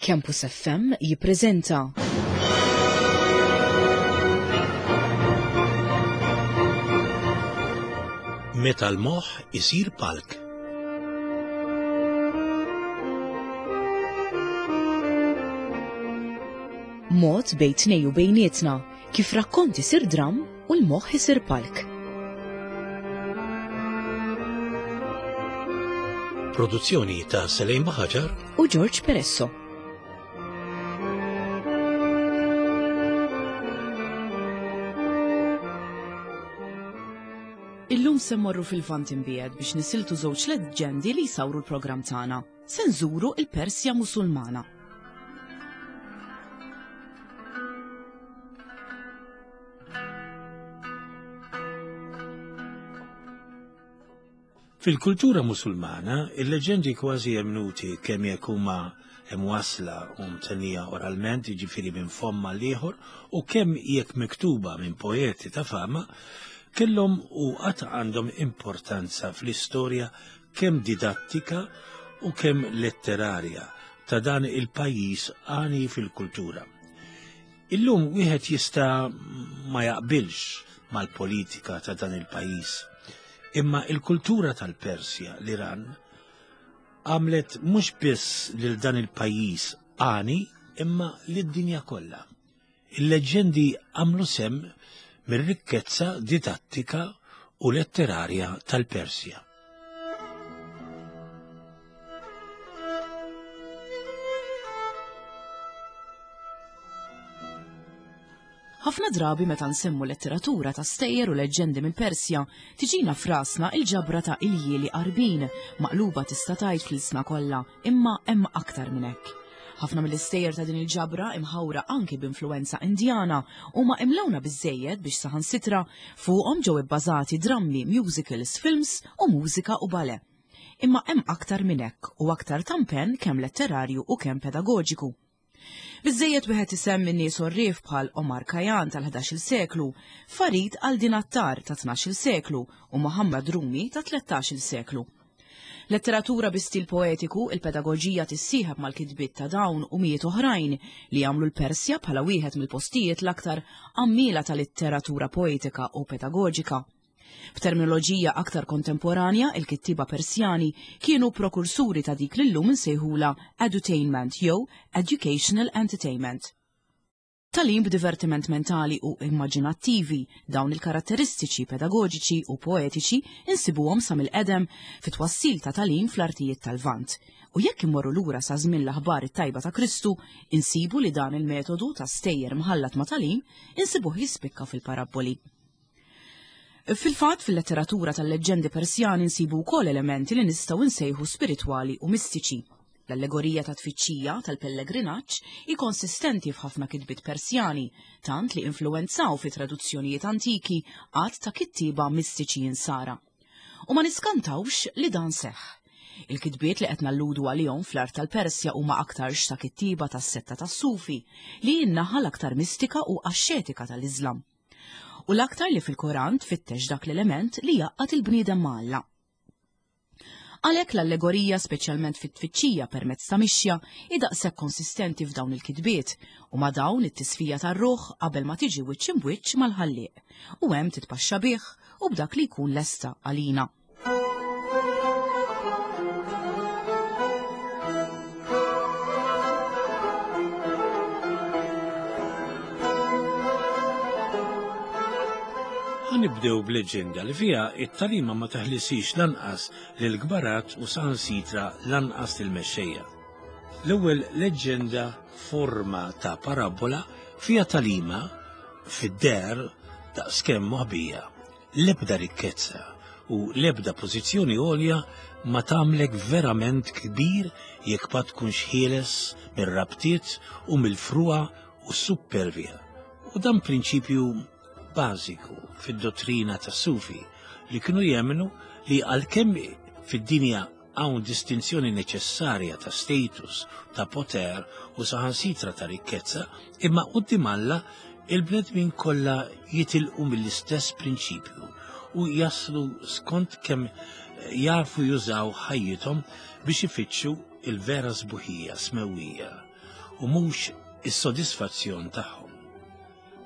Campus FM jippreżenta. Meta l-moħħ isir palk. Mod bejn tnej u bejnietna kif rakkont isir dramm u l-moħħ isir palk. Produzzjoni ta' Selejn Baħaġar u George Peresso. Illum se mmorru fil-Vant imbiegħed biex nisiltu żewġ leġġendi li jsawru l-programm tagħna. Se nżuru il-Persja Musulmana. Fil-kultura Musulmana, il-leġendi kważi emmnuti kemm jekk huma imwassla u mtennija oralment, jiġifieri minn fomm għal ieħor, u kemm jekk miktuba minn poeti ta' fama, kellhom u għad għandhom importanza fl-istorja kemm didattika u kemm letterarja ta' dan il-pajjiż għani fil-kultura. Illum wieħed jista' ma jaqbilx mal-politika ta' dan il-pajjiż. Imma il-kultura tal-Persja, l-Iran, għamlet mhux biss lil dan il-pajjiż għani imma lid-dinja kollha. Il-leġġendi għamlu sem mir-rikkezza didattika u letterarja tal-Persja. Ħafna drabi meta nsemmu letteratura ta' stejjer u leġġendi mill-Persja, tiġina f'rasna il-ġabra ta' iljieli Għarbin, maqluba tista' tgħid fl-ilsna kollha, imma hemm aktar minn hekk. Ħafna mill-istejjer ta' din il-ġabra, imħawra anki b'influwenza Indjana, huma imlewna biżżejjed biex saħansitra fuqhom ġew ibbażati drammi, musicals, films u mużika u ballet. Imma hemm aktar minn hekk u aktar ta' mpenn kemm letterarju u kemm pedagoġiku. Biżżejjed wieħed isemmi nies għorrief bħal Omar Khayyam tal-ħdax-il seklu, Farid al-Din Attar tat-tnax-il seklu u Muhammad Rumi tat-tlettax-il seklu. Letteratura bi stil poetiku, il-pedagoġija tissieħeb mal-kitbiet ta' dawn u mijiet oħrajn li jagħmlu l-Persja bħala wieħed mill-postijiet l-aktar għammiela ta' litteratura poetika u pedagoġika. B'terminoloġija aktar kontemporanja, il-kittieba Persjani kienu prokursuri ta' dik li llum insejħulha edutainment jew educational entertainment. Tagħlim b'divertiment mentali u immaġinattivi, dawn il-karatteristiċi pedagoġiċi u poetiċi insibuhom sa mill-qedem fit-twassil ta' tagħlim fl-artijiet tal-Lvant. U jekk immorru lura sa żmien l-aħbar it-tajba ta' Kristu, insibu li dan il-metodu ta' stejjer mħallat ma' tagħlim insibuh jispikka fil-parabboli. Fil-fatt, fil-letteratura tal-leġġendi Persjani nsibu wkoll elementi li nistgħu nsejħu spiritwali u mistiċi. L-allegorija ta' tfittxija tal-pellegrinaġġ hi konsistenti f'ħafna kitbiet Persjani, tant li influwenzaw fi traduzzjonijiet antiki għadd ta' kittieba mistiċi Insara. U ma niskantawx li dan seħħ. Il-kitbiet li qed nalludu għalihom fl-art tal-Persja huma aktarx ta' kittieba tas-setta tas-Sufi, li hi n-naħa l-aktar mistika u axxetika tal-Iżlam. U l-aktar li fil-Koran tfittex dak l-element li jgħaqqad il-bniedem ma' Alla. Għalhekk l-allegorija speċjalment fit-tfittxija permezz ta' mixja hi daqshekk konsistenti f'dawn il-kitbiet u ma' dawn it-tisfija tar-ruħ qabel ma tiġi wiċċ imbwiċċ mal-Ħallieq u hemm titpaxxa bih u b'dak li jkun lesta għalina. Ħanibdew b'leġenda li fiha it-talima ma taħlisix lanqas lil kbarat u saħansitra lanqas lil mexxejja. L-ewwel leġġenda forma ta' parabola fiha talima fid-der daqskemm moħbija. L-ebda rikkezza u l-ebda pożizzjoni għolja ma tagħmlek verament kbir jekk ma tkunx ħieles mir-rabtiet u mill-frugħa u s-suppervja. U dan prinċipju bażiku fid-dottrina tas-Sufi li kienu jemmnu li għalkemm fid-dinja Hawn distinzjoni neċessarja ta' status, ta' poter u saħansitra ta' rikkezza, imma quddiem Alla il-bnedmin kollha jitilqu mill-istess prinċipju u jaslu skont kemm jafu jużaw ħajjithom biex ifittxu il-vera sbuħija smewwija. u mhux is-sodisfazzjon tagħhom.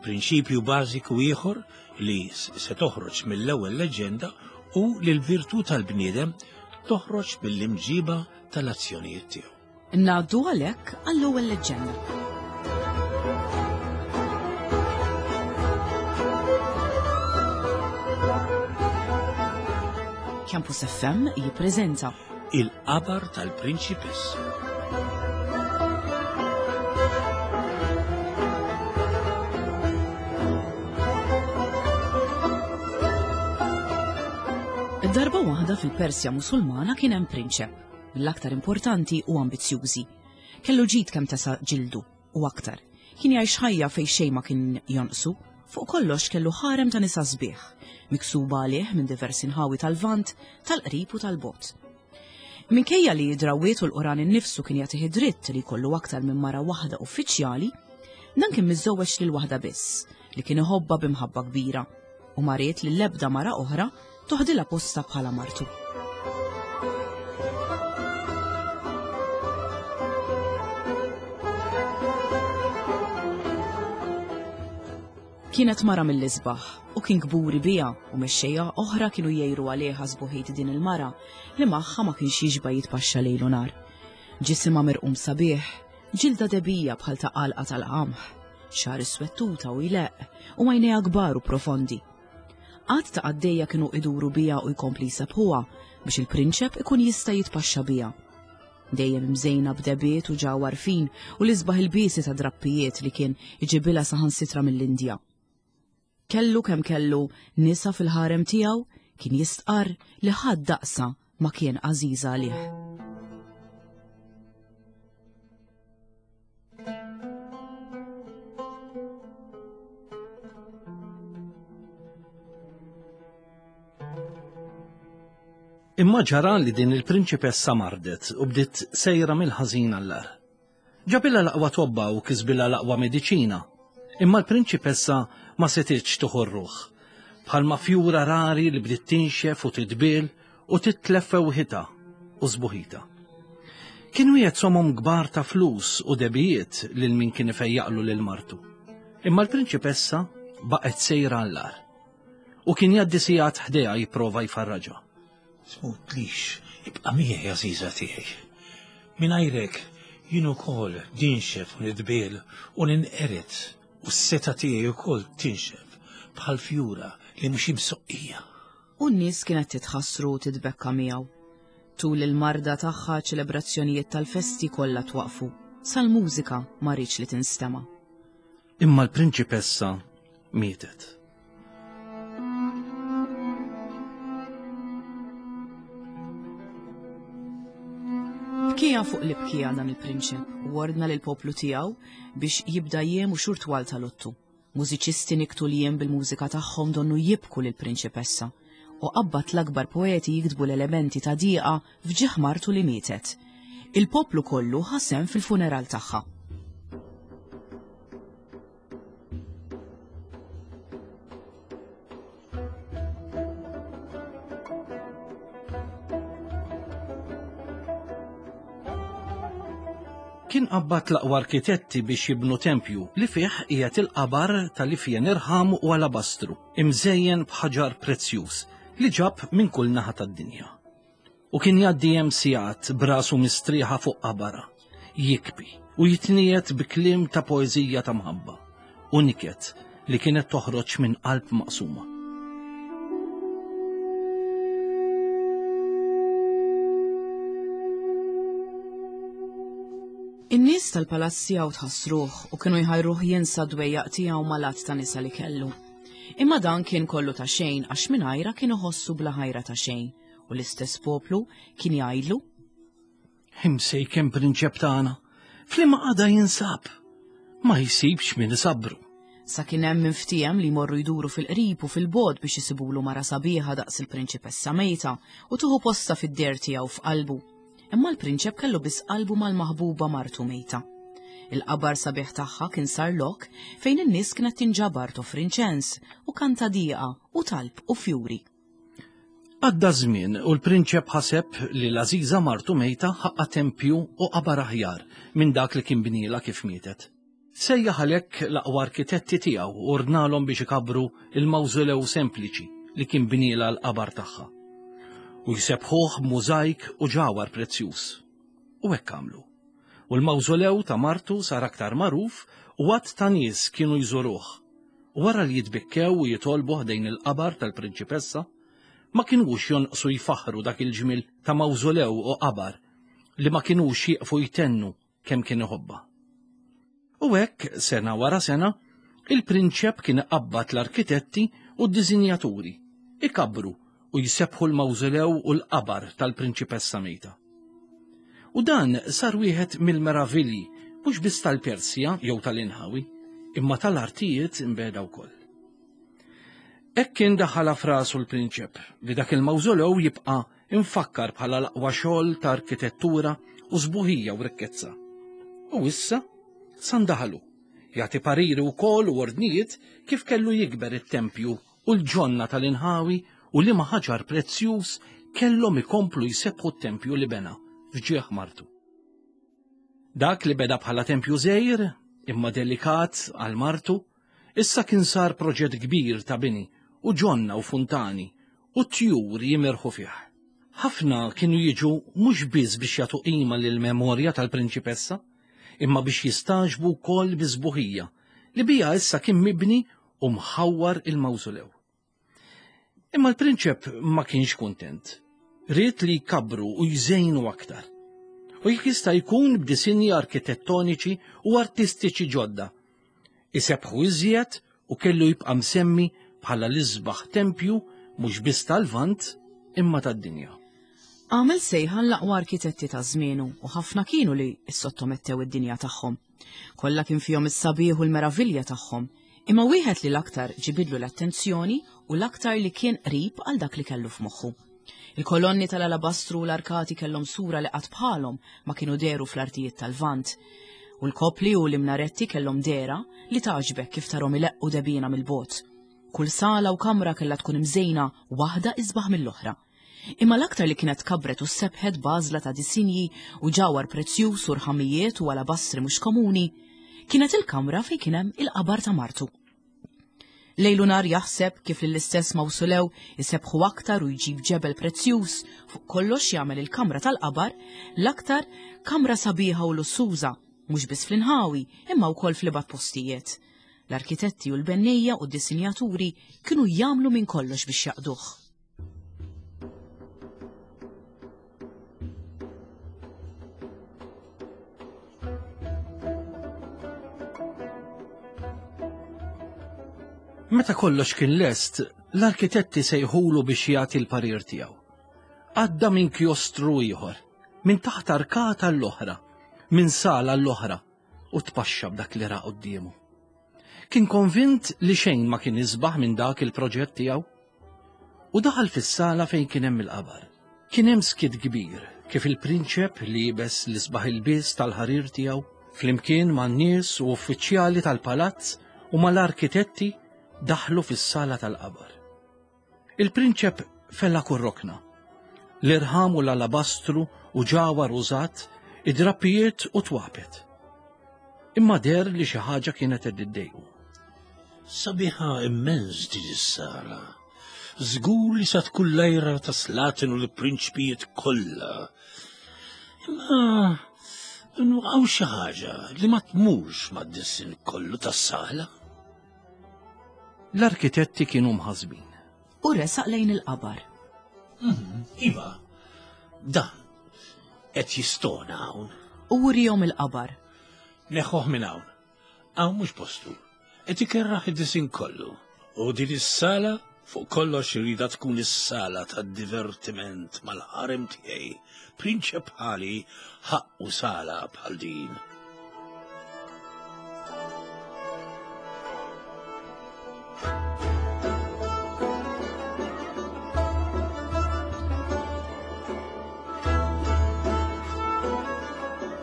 Prinċipju bażiku ieħor li se toħroġ mill-ewwel leġġenda hu li l-virtù tal-bniedem toħroġ mill-imġiba tal-azzjonijiet tiegħu. Ngħaddu għalhekk għall-ewwel leġġenda. Campus FM jippreżenta Il-qabar tal-prinċipessa. Darba waħda fil-Persja Musulmana kien hemm prinċep, mill-aktar importanti u ambizzjużi. Kellu ġid kemm tesa' ġildu u aktar. Kien jgħix ħajja fejn xejn ma kien jonqsu. Fuq kollox kellu ħarem ta' nisa sbieħ, miksuba għalih minn diversi nħawi tal-Lvant, tal-qrib u tal-bogħod. Minkejja li d-drawwiet u l-Quran innifsu kien jagħtih id-dritt li jkollu aktar minn mara waħda uffiċjali, dan kien miżżewweġ lil waħda biss, li kien iħobbha bi mħabba kbira, u ma ried li l-ebda mara oħra toħdilha postha bħala martu. Kienet mara mill-isbaħ u kien kburi biha u mexxejja oħra kienu jgħiru għalih għas-sbuħit din il-mara li magħha ma kienx jixba' jitpaxxa lejl u nhar. Ġisimha mirqum sabiħ, ġilda debija bħal ta' għalqa tal-qamħ, xagħar iswettuta u jleqq u għajnejha kbar u profondi. Għadd ta' qaddejja kienu iduru biha u jkompli jsebbħuha biex il-prinċep ikun jista' jitpaxxa biha. Dejjem imżejna b'debiet u ġawhar fin u l-isbaħ ilbiesi ta' drappijiet li kien iġibilha saħansitra mill-Indja. Kellu kemm kellu nisa fil-ħarem tiegħu kien jistqarr li ħadd daqsha ma kien għażiża għalih. Imma ġara li din il-prinċipessa mardet u bdiet sejra mill-ħażin għall-agħar. Ġabilha l-aqwa tobba u kisbilha l-aqwa mediċina. Imma l-prinċipessa ma setgħetx tieħu r-ruħ. Bħalma fjura rari li bdiet tinxef u titbiel u titlef fewħitha u sbuħitha. Kien wiegħed somom kbar ta' flus u debijiet lil min kien ifejjaqlu lil martu. Imma l-prinċipessa baqgħet sejra għall-agħar. U kien jgħaddi sigħat ħdejha jipprova jfarraġha. Tmutlix, ibqa' miegħi għażiża tiegħi. Mingħajrek jien ukoll ninxef u nitbiel u ninqered u s-setgħa tiegħi wkoll tinxef bħal fjura li mhux imsoqqija. U n-nies kienet titħassru u titbekka miegħu. Tul il-marda tagħha ċelebrazzjonijiet tal-festi kollha twaqfu, sal-mużika ma riedx li tinstema'. Imma l-prinċipessa mietet. Bkija fuq li bkija dan il-prinċep u ordna lil poplu tiegħu biex jibda jiem u xhur twal ta' luttu. Mużiċisti niktu l-jiem bil-mużika tagħhom donnu jibku lill-prinċipessa u qabbad l-akbar poeti jiktbu l-elementi ta' dieqa f'ġieħ martu li mietet. Il-poplu kollu ħa sehem fil-funeral tagħha. Kien qabbad l-aqwa arkitetti biex jibnu tempju li fih qiegħed il-qabar tal-ifjen irħam u alabastru, imżejjen b'ħaġar prezzjuż li ġab minn kull naħa tad-dinja. U kien jgħaddi hemm sigħat b'rasu mistrieħa fuq qabarha, jikbi u jitniegħed bi kliem ta' poeżija ta' mħabba u niket li kienet toħroġ minn qalb maqsuma. In-nies tal-palazz tiegħu tħassruh u kienu jħajruh jinsa d-dwejjaq tiegħu mal-għadd ta' nisa li kellu. Imma dan kien kollu ta' xejn għax mingħajrha kien iħossu bla ħajra ta' xejn u l-istess poplu kien jgħidlu Imsejken prinċep tagħna, f'liema qagħda jinsab? Ma jsibx min isabbru. Sa kien hemm min ftiehem li jmorru jduru fil-qrib u fil-bogħod biex isibulu mara sabiħa daqs il-prinċipessa mejta u tieħu postha fid-deher tiegħu f'qalbu. Imma l-prinċep kellu biss qalbu mal-maħbuba martu mejta. Il-qabar sabiħ tagħha kien sar lok fejn in-nies kienet tinġabar toffri inċens u kanta dieqa u talb u fjuri. Għadda żmien u l-prinċep ħaseb li l-għażiża martu mejta ħaqqa tempju u qabar aħjar minn dak li kien bnielha kif mietet. Sejjaħ għalhekk l-aqwa arkitetti tiegħu u ordnalhom biex ikabbru l-mawżolew sempliċi li kien bnielha l-qabar tagħha. U jsebbħuh b'mużajk u ġawhar prezzjuż. U hekk għamlu. U l-mawżolew ta' martu sar aktar magħruf u għadd ta' nies kienu jżuruh. U wara li jitbikkew u jitolbu ħdejn il-qabar tal-prinċipessa, ma kinux jonqsu jfaħħru dak il-ġmiel ta' mawżolew u qabar li ma kinux jieqfu jtennu kemm kien iħobbha. U hekk, sena wara sena, il-prinċep kien iqabbad l-arkitetti u d-disinjaturi, ikabbru u jsebbħu l-mawżolew u l-qabar tal-prinċipessa mejta. U dan sar wieħed mill-meravilji mhux biss tal-Persja jew tal-inħawi, imma tal-artijiet imbegħda wkoll. Hekk kien daħħalha f'rasu l-prinċep li dak il-mawżolew jibqa' imfakkar bħala l-aqwa xogħol ta' arkitettura u sbuħija u rikkezza. U issa sandaħalu jagħti pariri wkoll u ordnijiet kif kellu jikber it-tempju u l-ġonna tal-inħawi u liema ħaġar prezzjuż kellhom ikomplu jsebbħu t-tempju li bena f'ġieħ martu. Dak li beda bħala tempju żgħir, imma delikat għal martu, issa kien sar proġett kbir ta' bini u ġonna u funtani u tjur jimirħu fih. Ħafna kienu jiġu mhux biss biex jagħtu qima lill-memorja tal-prinċipessa, imma biex jistagħġbu wkoll bis-sbuħija li biha issa kien mibni u mħawwar il-mawżulew. Imma l-prinċep ma kienx kuntent. Ried li jkabbru u jżejnu aktar. U jekk jista' jkun b'disinji arkitettoniċi u artistiċi ġodda. Isebbħu iżjed u kellu jibqa' msemmi bħala l-isbaħ tempju mhux biss tal-Lvant imma tad-dinja. Għamel sejħa l-aqwa arkitetti ta' żmienu u ħafna kienu li ssottomettew id-dinja tagħhom. Kollha kien fihom is-sabiħ u l-meravilja tagħhom, imma wieħed li l-aktar ġibidlu l-attenzjoni u l-aktar li kien qrib għal dak li kellu f'moħħu. Il-kolonni tal-alabastru u l-arkati kellhom sura li qatt bħalhom ma kienu dehru fl-artijiet tal-Lvant. U l-kopli u l-imnaretti kellhom dehra li tagħġbek kif tarhom ileqqu debina mill-bogħod. Kull sala u kamra kellha tkun imżejna waħda isbaħ mill-oħra. Imma l-aktar li kienet kabret u sebħet b'għażla ta' disinji u ġawhar prezzjuż u rħamijiet u alabastri mhux komuni, kienet il-kamra fejn kien hemm il-qabar ta' martu. Lejl u nhar jaħseb kif lill-istess mawsulew isebbħu aktar u jġib ġebel prezzjuż, fuq kollox jagħmel il-kamra tal-qabar l-aktar kamra sabiħa u lussuża, mhux biss fl-inħawi imma wkoll fl-ibgħad postijiet. L-arkitetti u l-bennejja u d-disinjaturi kienu jagħmlu minn kollox biex jaqduh. Meta kollox kien lest, l-arkitetti sejħulu biex jagħti l-parir tiegħu. Għadda minn kjostru ieħor, minn taħt arkata l-oħra, minn sala l-oħra, u tpaxxa b'dak li ra quddiemu. Kien konvint li xejn ma kien isbaħ minn dak il-proġett tiegħu. U daħal fis-sala fejn kien hemm il-qabar. Kien hemm skiet kbir kif il-prinċep liebes l-isbaħ ilbies tal-ħarir tiegħu flimkien man-nies u uffiċjali tal-palazz u mal-arkitetti daħlu fis-sala tal-qabar. Il-prinċep fella kull rokna. L-irħam u l-alabastru u ġawhar użat, id-drappijiet u twapet. Imma deher li xi ħaġa kienet qed iddejqu. Sabiħa immens din is-sala. Żgur li sa tkun l-għira ta' slaten u l-prinċpijiet kollha. Imma hawn xi ħaġa li ma tmurx mad-disinn kollu tas-sala. L-arkitetti kienu mħassbin. U resaq lejn il-qabar. Mhm, iva, dan qed jistona hawn. U wrihom il-qabar. Neħħuh minn hawn. Hawn mhux postu. Qed ikerraħ id-disin kollu. U din is-sala fuq kollox irida tkun is-sala tad-divertiment mal-ħarem tiegħi. Prinċep bħali ħaqqu sala bħal din.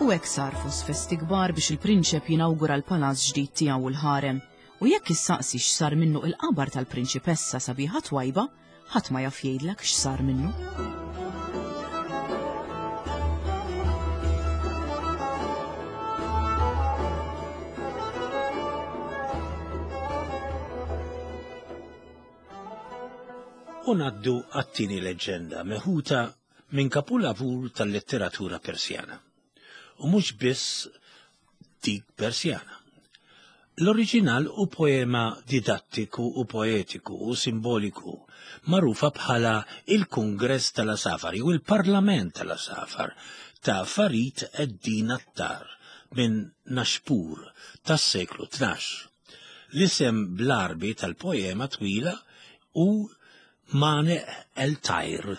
U hekk sar fost festi kbar biex il-prinċep jinawgura l-palazz ġdid tiegħu u l-ħarem. U jekk issaqsi x'sar minnu il-qabar tal-prinċipessa sabiħa twajba, Ħadd ma jaf jgħidlek x'sar minnu. U ngħaddu għat-tieni leġġenda meħuta minn kapulavur tal-letteratura Persjana. U mhux biss dik Persjana. L-oriġinal hu poema didattiku u poetiku u simboliku magħrufa bħala Il-Kungress tal-Għasafar jew Il-Parlament tal-Għasafar ta' Farid ed-Din Attar minn Nashpur tas-seklu 12. L-isem bl-Għarbi tal-poema twila hu Maneq el-Tajr.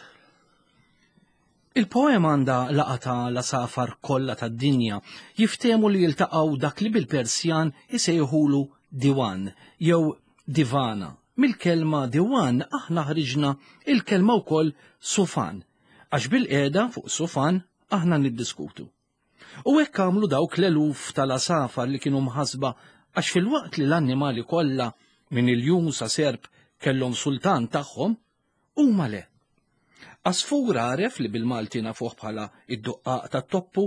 Il-poema għandha laqgħa ta' l-għasafar kollha tad-dinja jiftehmu li jiltaqgħu dak li bil-Persjan isejħulu diwan jew divana. Mill-kelma diwan aħna ħriġna il-kelma wkoll sufan, għax bilqiegħda fuq sufan aħna niddiskutu. U hekk għamlu dawk l-eluf tal-għasafar li kienu mħassba għax filwaqt li l-annimali kollha minn iljun sa serp kellhom sultan tagħhom, Huma le. Għasfur għaref li bil-Malti nafuh bħala id-duqqaq tat-toppu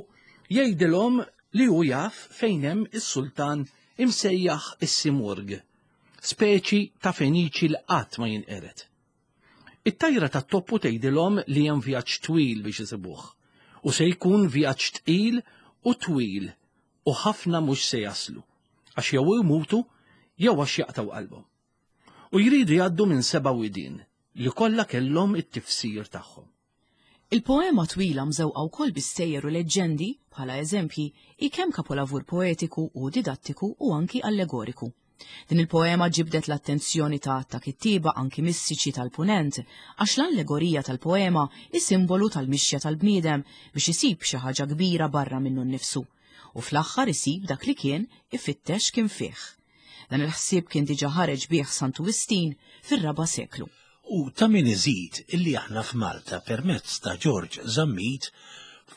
jgħidilhom li hu jaf fejn hemm is-sultan imsejjaħ is-Simurg, speċi ta' feniċi li qatt ma jinqered. It-tajra tat-toppu tgħidilhom li hemm vjaġġ twil biex isibuh u se jkun vjaġġ tqil u twil u ħafna mhux se jaslu għax jew imutu jew għax jaqtgħu qalbhom. U jridu jgħaddu minn seba' widien li kollha kellhom it-tifsir tagħhom. Il-poema twila mżewqa wkoll bi stejjer u leġġendi, bħala eżempji, hi kemm kapolavur poetiku u didattiku u anki allegoriku. Din il-poema ġibdet l-attenzjoni ta' għadd ta' kittieba anki mistiċi tal-Punent, għax l-allegorija tal-poema hi simbolu tal-mixja tal-bniedem biex isib xi ħaġa kbira barra minnu nnifsu, u fl-aħħar isib dak li kien ifittex kien fih. Dan il-ħsieb kien diġà ħareġ bih Santu Wistin fir-raba' seklu. U ta' min iżid illi aħna f'Malta permezz ta' Ġorġ Zammit,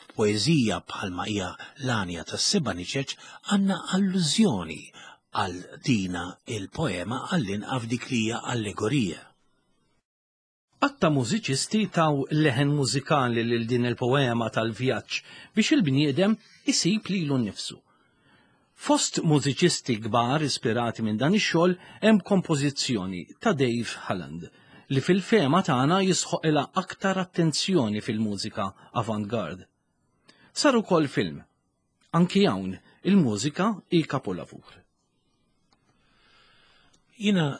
f'poeżija bħalma hija L-Għanja tas-Seba' Niċeċ għandna allużjoni għal dina il-poema għall-inqa f'dik li hija allegorija. Għadd ta' mużiċisti taw leħen mużikali lil din il-poema tal-vjaġġ biex il-bniedem isib lilu nnifsu. Fost mużiċisti kbar ispirati minn dan ix-xogħol hemm kompożizzjoni ta' Dave Holland li fil-fehma tagħna jisħoqilha aktar attenzjoni fil-mużika avant-garde. Sar ukoll film. Anki hawn il-mużika hi kapolavur. Jiena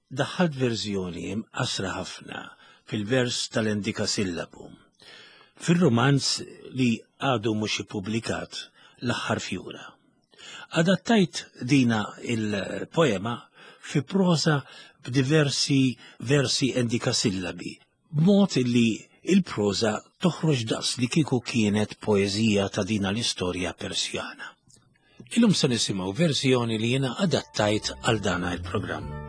Daħħalt verżjoni imqassra ħafna fil-vers tal-endikasillabu. Fir-rumanz li għadu mhux ippubblikat L-Aħħar Fjura. Adattajt dina il-poema fi proża b'diversi versi endikasillabi b'mod li l-proża toħroġ daqs li kieku kienet poeżija ta' dina l-istorja Persjana. Illum se nisimgħu verżjoni li jiena adattajt għal dana il-programm.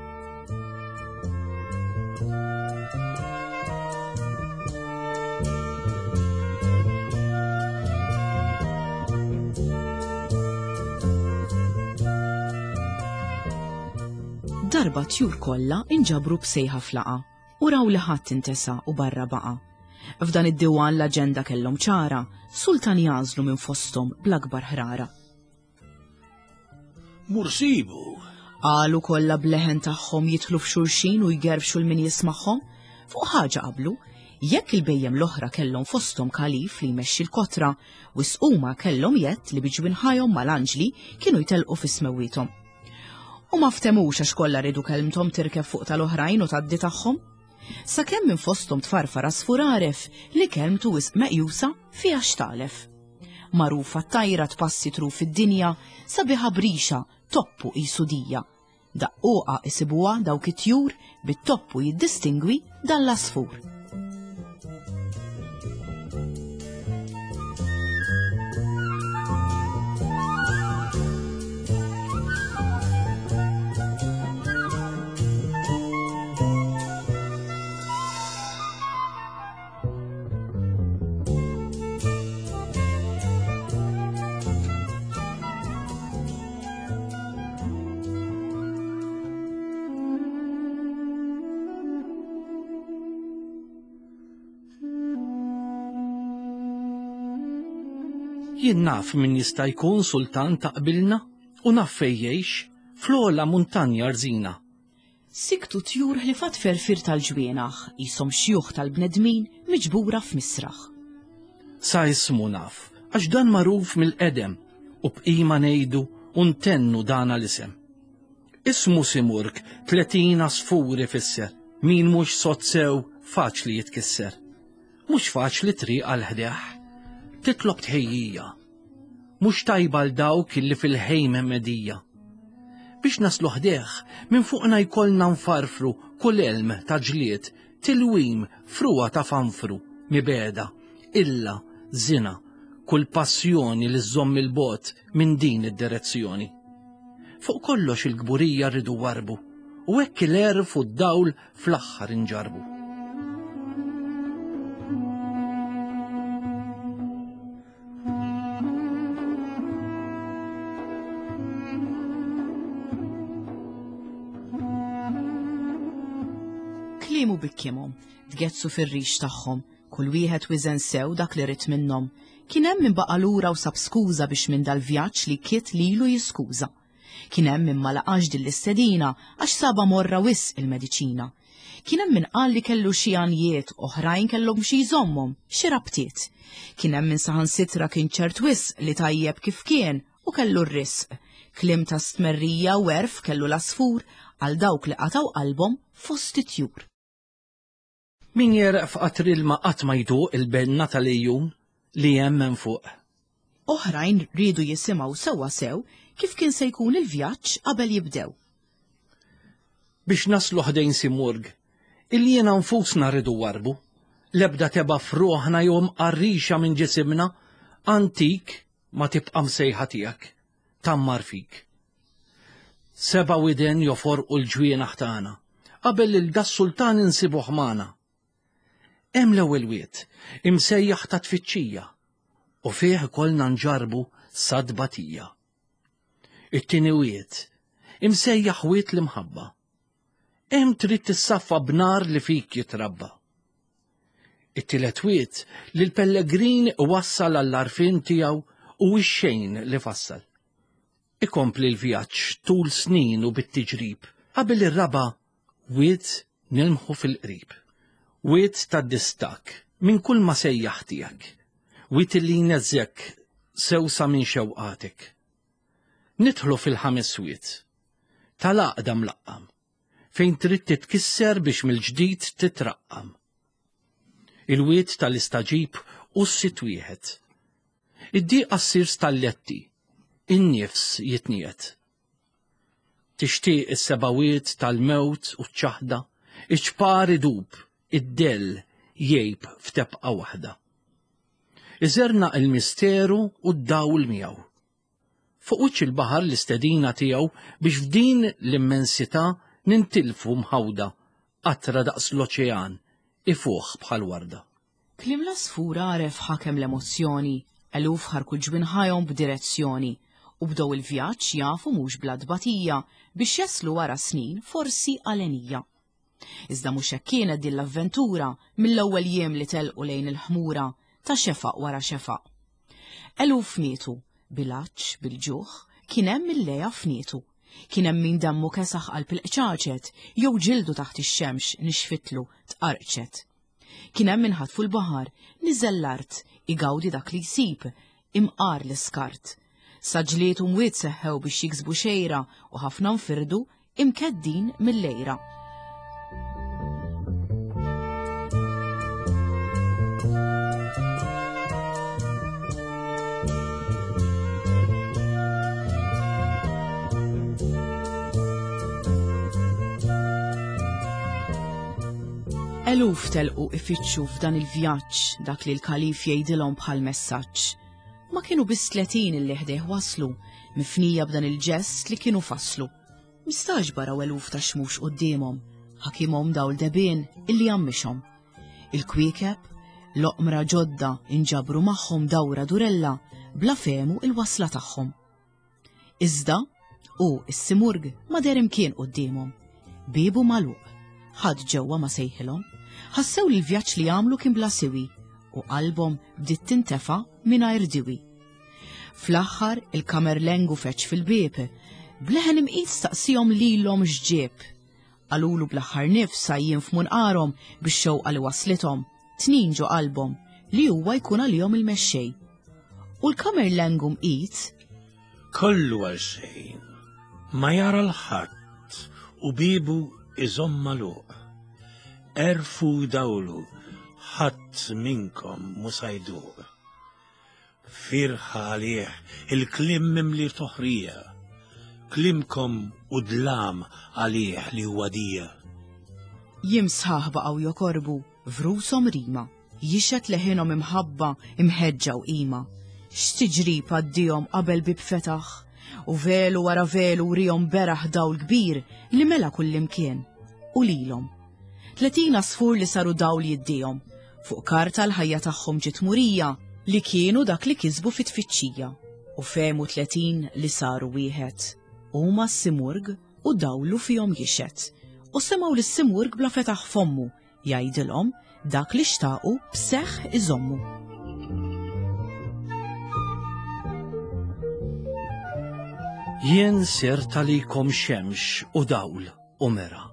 Darba tjur kollha inġabru b'sejħa flaqa u raw li ħadd intesa u barra baqa'. F'dan id-diwan l-aġenda kellhom ċara, sultan jagħżlu minn fosthom bl-akbar ħrara. Mur sibu! Qalu kollha b'leħen tagħhom jidħlu f'xulxin u jgerfxu 'l min jismagħhom. Fuq ħaġa qablu, jekk il-bhejjem l-oħra kellhom fosthom kalif li jmexxi l-kotra, wisq huma kellhom jedd li bi ġwinħajhom mal-anġli kienu jtellqu fi smewwiethom. U ma ftemux għax kollha riedu kelmthom tirkeb fuq tal-oħrajn u tgħaddi tagħhom. Sakemm minn fosthom tfarfar għasfur għaref li kelmtu wisq meqjusa fiha x'tagħlef. Magħrufa t-tajra tpassi truf id-dinja, sabiħa b'rixa, toppu qisu dija. Daqquqa isibuha dawk it-tjur bit-toppu jiddistingwi dan l-għasfur. Jien naf min jista' jkun sultan ta' qbilna u naf fejn jgħix, fl-ogħla muntanja rżina. Siktu tjur ħlief għat-tferfir tal-ġwienaħ, qishom xjuħ tal-bnedmin miġbura f'misraħ. Sa ismu naf, għax dan magħruf mill-qedem, u b'qima ngħidu u ntennu dana l-isem. Ismu Simurg, 30 għasfur ifisser, min mhux sod sew faċli jitkisser. Mhux faċli triq għal ħdejh, titlob tħejjija. Mhux tajba għal dawk illi fil-ħejm medija. Biex naslu ħdejh, minn fuqna jkollna nfarfru kull elm ta' ġlied, tilwim, frugħa ta' fanfru, mibegħda, illa, żina, kull passjoni li żżomm il-bogħod minn din id-direzzjoni. Fuq kollox il-kburija rridu warbu, u hekk il-għerf u d-dawl fl-aħħar inġarbu. Kliemu bikkimhom, tgezzu fir-rix tagħhom, kull wieħed wiżen sew dak li ried minnhom. Kien hemm min baqa' lura u sab skuża biex minn dal-vjaġġ li kiet lilu jiskuża. Kien hemm min ma laqax din l-istedina għax sabha morra wisq il-mediċina. Kien hemm min qal li kellu xi għanjiet, oħrajn kellhom xi jżommhom, xi rabtiet. Kien hemm min saħansitra kien ċert wisq li tajjeb kif kien u kellu r-risq. Kliem ta' stmerrija u għerf kellu l-għasfur għal dawk li qatgħu qalbhom fost it-tjur. Min jegħreq f'qatr ilma qatt ma jduq il-benna tal-għejun li hemm hemm fuq. Oħrajn riedu jisimgħu sewwa sew kif kien se jkun il-vjaġġ qabel jibdew. Biex naslu ħdejn Simurg, il-jiena nfusna rridu warrbu, l-ebda tebgħa f'ruħna jew imqarrixa minn ġisimna antik ma tibqa' msejħa tiegħek, tgħammar fik. Seba' widen joforqu l-ġwienaħ tagħna, qabel lil das-sultan insibuh magħna. Hemm l-ewwel wied, imsejjaħ ta' tfittxija, u fih ikollna nġarrbu sa tbatija. It-tieni wied, imsejjaħ wied l-imħabba. Hemm trid tissaffa b'nar li fik jitrabba. It-tielet wied li l-pellegrin iwassal għall-għarfien tiegħu u x-xejn li fassal. Ikompli l-vjaġġ tul snin u bit-tiġrib, qabel ir-raba' wied nilmħu fil-qrib. Wied tad-distakk minn kull ma sejjaħ tiegħek. Wied li jneżżgħek sew sa minn xewqatek. Nidħlu fil-ħames wied, tal-għaqda mlaqqam, fejn trid titkisser biex mill-ġdid titraqqam. Il-wied tal-istagħġib hu s-sitt wieħed. Id-dieqa ssir stalletti, in-nifs jitniegħed. Tixtieq is-seba' wied tal-mewt u ċ-ċaħda, iċ-ċpar idub, id-dell jgħib f'tebqa waħda. Iżernaq il-misteru u d-dawl miegħu. Fuq wiċċ il-baħar l-istedina tiegħu biex f'din l-immensità nintilfu mħawda, qatra daqs l-oċean, ifuħ bħal warda. Kliem l-għasfur għaref ħakem l-emozzjoni, eluf ħarku ġwinħajhom b'direzzjoni, u bdew il-vjaġġ jafu mhux bla tbatija biex jaslu wara snin forsi għalenija. Iżda mhux hekk kienet din l-avventura mill-ewwel jiem li telqu lejn il-ħmura ta' xefaq wara xefaq. Eluf mietu, bil-għatx, bil-ġuħ, kien hemm il-leja fnietu. Kien hemm min demmu kesaħ qalb il-qċaċet jew ġildu taħt ix-xemx nixfitlu, tqarqċet. Kien hemm min ħatfu l-baħar, niżel l-art, igawdi dak li jsib, imqar l-iskart. Sa ġlied u mwiet seħħew biex jiksbu xejra u ħafna nfirdu imkeddin mill-għira. Eluf telqu ifittxu f'dan il-vjaġġ dak li l-kalif jgħidilhom bħal messaġġ. Ma kienu biss 30 illi ħdejh waslu, mifnija b'dan il-ġest li kienu fasslu. Mistagħġba raw eluf ta' xmux quddiemhom, ħakimhom dawl debien illi għammixhom. Il-kwiekeb, l-oqmra ġodda inġabru magħhom dawra durella bla fehmu il-wasla tagħhom. Iżda, hu s-simurg ma deher imkien quddiemhom. Biebu magħluq. Ħadd ġewwa ma sejħilhom. Ħassew li l-vjaġġ li għamlu kien bla siwi u qalbhom bdiet tintefa' mingħajr diwi. Fl-aħħar il-kamerlengu feġġ fil-bieb, b'leħen imqit staqsihom lilhom x'ġieb. Qalulu bl-aħħar nifs għajjien f'munqarhom bix-xewqa li waslithom, tnin ġo qalbhom, li huwa jkun għalihom il-mexxej. U l-kamerlengu mqit Kollu għal xejn, ma jara l-ħadd u biebu iżomm magħluq. Għerfu u dawlu, ħadd minnkom mhu sa jduq. Firħa għalih il-kliem mimli toħrija, kliemkom hu dlam għalih li huwa dija. Jiem sħaħ baqgħu jokorbu f'rushom rima, jixhed leħinhom imħabba imħeġġa u qima. X'tiġrib għaddihom qabel bieb fetaħ, u velu wara velu wrihom beraħ dawl kbir li mela kullimkien, u lilhom. 30 għasfur li saru dawl jiddihom. Fuq karta l-ħajja tagħhom ġiet murija li kienu dak li kisbu fit-tfittxija u fehmu 30 li saru wieħed. Huma s-Simurg u dawlu fihom jixhed. U semgħu lis-Simurg bla fetaħ fommu jgħidilhom dak li xtaqu b'seħħ iżommu. Jien sirt għalikom xemx u dawl u mera,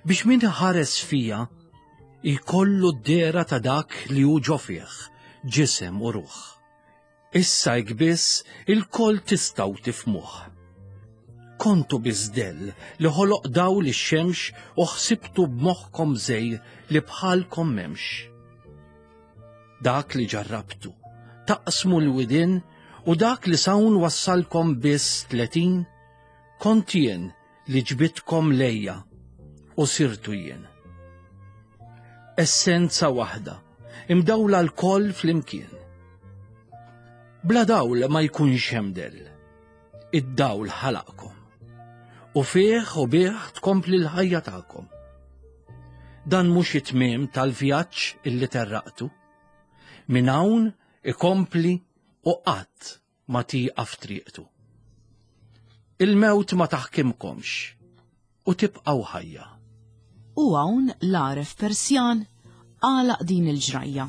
biex min ħares fija jkollu d-dehra ta' dak li hu ġo fih, ġisem u ruħ. Issa hekk biss ilkoll tistgħu tifhmuh. Kontu biss dell li ħoloq dawl ix-xemx u ħsibtu b'moħħkom żgħir li bħalkom m'hemmx. Dak li ġarrabtu, taqsmu l-widien u dak li s'hawn wassalkom biss 30, kont jien li ġbidtkom lejja u sirtu jien. Essenza waħda, imdawla lkoll flimkien. Bla dawl ma jkunx hemm dell. Id-dawl ħalaqkom. U fih u bih tkompli l-ħajja tagħkom. Dan mhux it-tmiem tal-vjaġġ illi terraqtu. Minn hawn ikompli u qatt ma tieqaf triqtu. Il-mewt ma taħkimkomx u tibqgħu ħajja. U hawn l-għaref Persjan għalaq din il-ġrajja.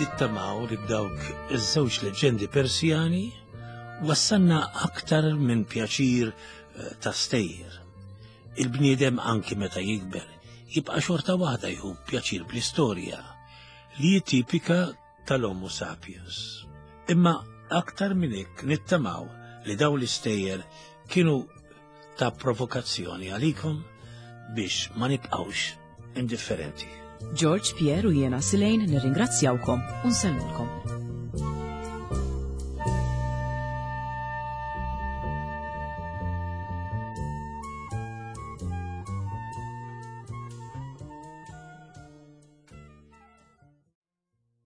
Nittamaw li b'dawk iż-żewġ leġġendi Persjani Wassalna aktar minn pjaċir eh, ta' stejjer. Il-bniedem anki meta jikber jibqa' xorta waħda jħu pjaċir bl-istorja li tipika tal-Homo sapiens. Imma aktar minn hekk nittamaw li dawn l-istejjer kienu ta' provokazzjoni għalikom biex ma nibqgħux indifferenti. George Pierre u jiena Silejn nirringrazzjawkom u nsellmulkom.